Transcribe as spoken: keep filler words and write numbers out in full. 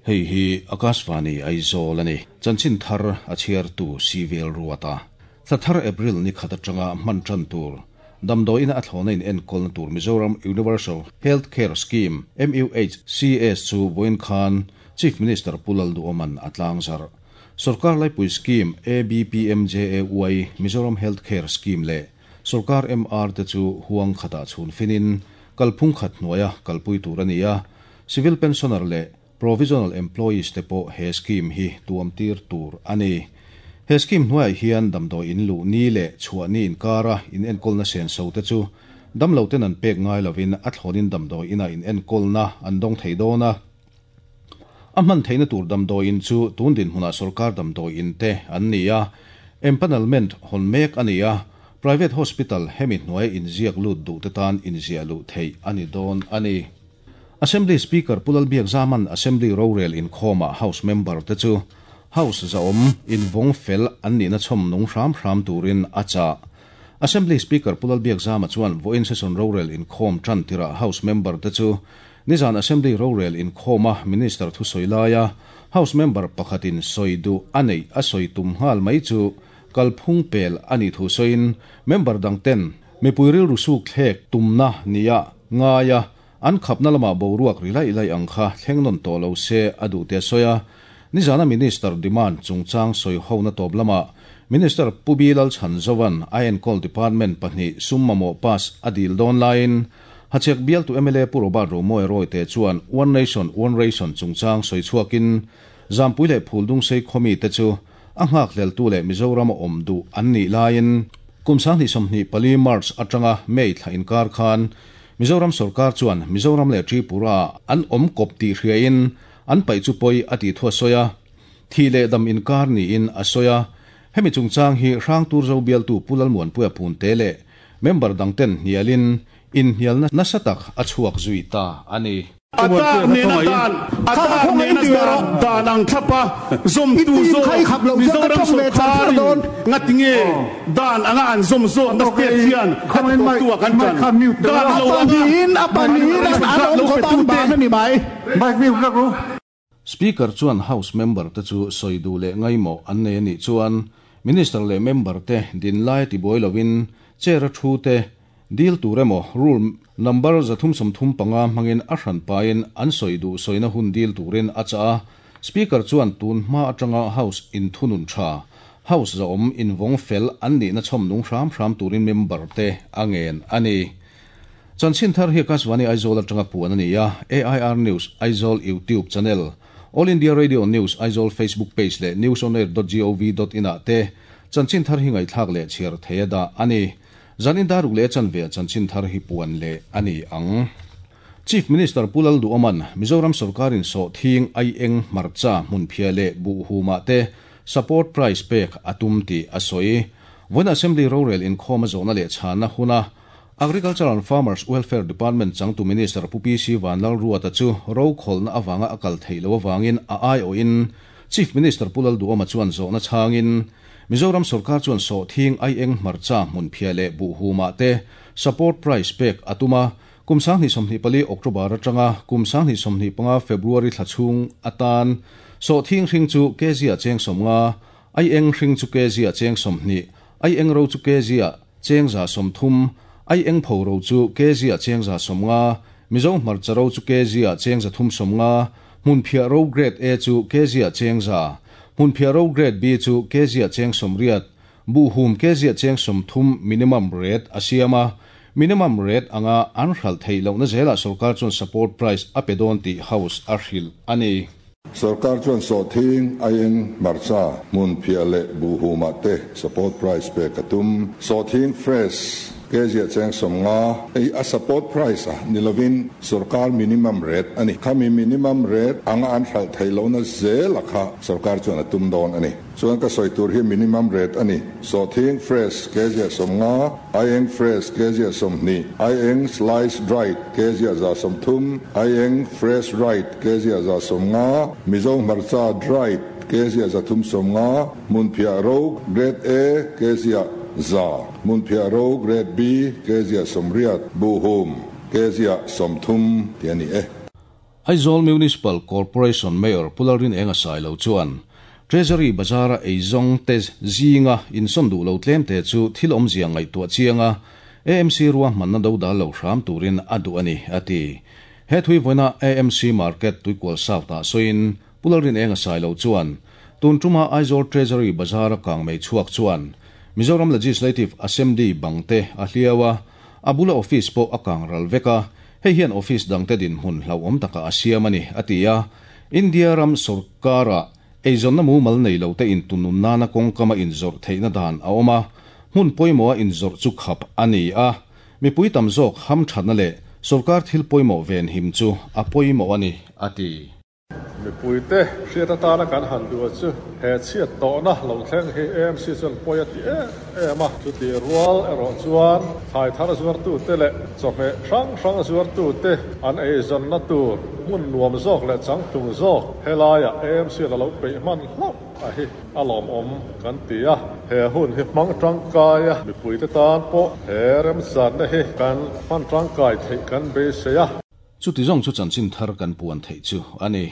Hei hi Akashvani Aizawl ani. Chanchin thar a chhiar tu Civil Ruata. Thla April ni khat atanga hman tan tur. Damdawiin a thlawna in enkawl tur Mizoram Universal Health Care Scheme M U H C S chu vawiin khan Chief Minister Pu Lalduhoma'n a tlangzar. Sarkar Laipui Scheme A B P M J A Y Mizoram Health Care Scheme leh Sarkar M R te chu huang khata chhun finin kalphung khat hnuaia kalpui tur ani a. Civil pensioner leh provisional employees te pawh he scheme hi tuam tir tur ani. He scheme hnuai hian damdawi in lu ni leh chhuah ni inkara in enkawlna sen so te chu damlo ten an pek ngai lovin a thlawnin damdawi ina in enkawlna an dawng thei dawn a. A hman theihna tur damdawi in chu tun din hmunah sarkar damdawi in te an ni a, empanelment hawn mek ani a, private hospital hemi hnuai inziak lut duh te tan inziah luh theih ani dawn ani. Assembly Speaker Pu Lalbiakzama'n Assembly rorel inkhawmah House member te chu House zaawm invawng fel an nihna chhawm nung hram hram turin a chah. Assembly Speaker Pu Lalbiakzama chuan vawiin session rorel inkhawm tan tirah House member te chu nizan Assembly rorel inkhawma Minister thusawi laia House member pakhatin sawi duh a neih a sawi tum nghal mai chu kalphung pel ani thu sawiin, member dang ten mipui rilru suk thlek tumna nia ngaia an khapna lama boruak ri lai lai ang kha thleng nawn tawh lo se a duh te sawi a. Nizana Minister demand chungchang sawi hona tawp lama Minister Pu B Lalchhanzova'n a enkawl department pahnih sum mamawh pass a dil dawn laiin Hachhek bialtu M L A Pu Robert Romawia Royte chuan One Nation One Ration chungchang sawi chhuakin Zampui leh Phuldungsei khawmi te chu a nghak hleltu leh Mizoram a awm duh an nih laiin kum sanghnih sawmhnih pali March atanga May thla inkar khan Mizoram sarkar chuan Mizoram leh Tripura an awm kawp tih hriain an paih chu pawi a tih thu a sawi a, thi leh dam inkar niin a sawi a. Hemi chungchang hi Hrangturzo bialtu Pu Lalmuanpuia Punte leh member dangten hnialin inhnialna nasa tak a chhuak zui ta ani. Atak nena dan atak nena dan dan ang thlapa zom tu zo Mizoram sarkarin ngatinge dan anga an zom zo na state hian khati to tu kan chan dan lo anga in apaniin an awm khawp an ban ani mai. Speaker chuan House member te chu sawi duh leh ngaimawh an nei anih chuan Minister leh member te din lai tibuai lovin chair a thu te dil tur emaw rule number zathum sawmthum panga hmangin a hran pain an sawi duh sawina hun dil turin a chah a. Speaker chuan tun hma atanga House in thunun tha House zaawm invawng fel an nihna chhawm nung hram hram turin member te a ngen ani. Chanchin thar hi Akashvani Aizawl atanga puan ani a. A I R News Aizawl YouTube channel, All India Radio News Aizawl Facebook page leh newsonair dot gov dot in ah te chanchin thar hi ngaihthlak leh chhiar theia dah ani. Zanin daruk leh chanve chanchin thar hi puan leh ani ang. Chief Minister Pu Lalduhoma'n Mizoram sarkarin sawhthing, aieng, hmarcha, hmunphiah leh buhhuma te support price pek atum tih a sawi. Vawiin Assembly rorel inkhawm a zawhna leh chhanna huna Agriculture and Farmers Welfare Department changtu Minister Pu P C Vanlalruata chu ro kholna awanga a kal theih lo awangin a aiawhin Chief Minister Pu Lalduhoma chuan zawhna chhangin Mizoram sarkar chuan sawhthing, aieng, hmarcha, hmunphiah leh buhhuma te support price pek atuma. Kum sanghnih sawmhnih pali October atanga kum sanghnih sawmhnih panga February thla chhung atan sawhthing hring chu kg a cheng sawmnga, aieng hring chu kg a cheng sawmhnih, aieng ro chu kg a cheng za sawmthum, aieng pho ro chu kg a cheng za sawmnga, Mizo hmarcha ro chu kg a cheng za thum sawmnga, hmunphiah ro grade A chu kg a cheng za, hmunphiah ro grade B chu kg a cheng sawmriat, buhhum kg a cheng sawmthum minimum rate a siam a. Minimum rate anga an hral theih lohna zela sarkar chuan support price a pe dawn tih House a hrilh ani. Sarkar chuan sawhthing, aieng, hmarcha, hmunphiah leh buhhuma te support price pek a tum. Sawhthing fresh kg a cheng sawmnga ei a support price a nilovin sarkar minimum rate ani. Khami minimum rate anga an hral theih lohna zel a kha sarkar chuan a tum dawn ani. Chuan ka sawi tur hi minimum rate ani. Sawhthing fresh kg a sawmnga, aieng fresh kg a sawmhnih, aieng slice dried kg a za sawmthum, aieng fresh dried kg a za sawmnga, Mizo hmarcha dried kg a zathum sawmnga, hmunphiah ro grade A kg a za, hmunphiah ro grade B kg a sawmriat, buhhum kg a sawmthum ti ani e. Aizawl Municipal Corporation Mayor Pularin enga sai lo chuan Treasury Bazara eizong te zinga inson du lo tlem te chu thil om zia ngai tua chianga A M C ruwa manna do dal lo hram turin adu ani ati he thui voina A M C market tuikwal south ta soin Pularin enga sai lo chuan tun tuma Aizawl Treasury Bazara kang mei chuak chuan Mizoram Legislative Assembly bangte a hliawa abula office po akang ral veka hei hian office dangte din hun hlau om taka asiamani atia India ram sarkara eizon na mu mal nei lo te in tunun nana kong kama in zor theina dan a oma hun poimo in zor chu khap ani a mi pui tam zok ham thana le sarkar thil poimo ven him chu a poimo ani ati mi pui te hriata tana kan han du chu he chiat to na lo thleng hi A M C chuan pawia ti em em a chu ti rual erawh chuan thai thar zuar tu te leh chawhmeh hrang hrang zuar tu te an eizawn na tur hmun nuam zawk leh changtlung zawk helaiah A M C la lo peih hman hlauh a hi a lawm awm kan ti a he hun hi hmang tangkai a mi pui te tan pawh he remchanna hi kan hman tangkai theih kan beisei a chu ti zawng chu chanchin thar kan puan theih chu ani.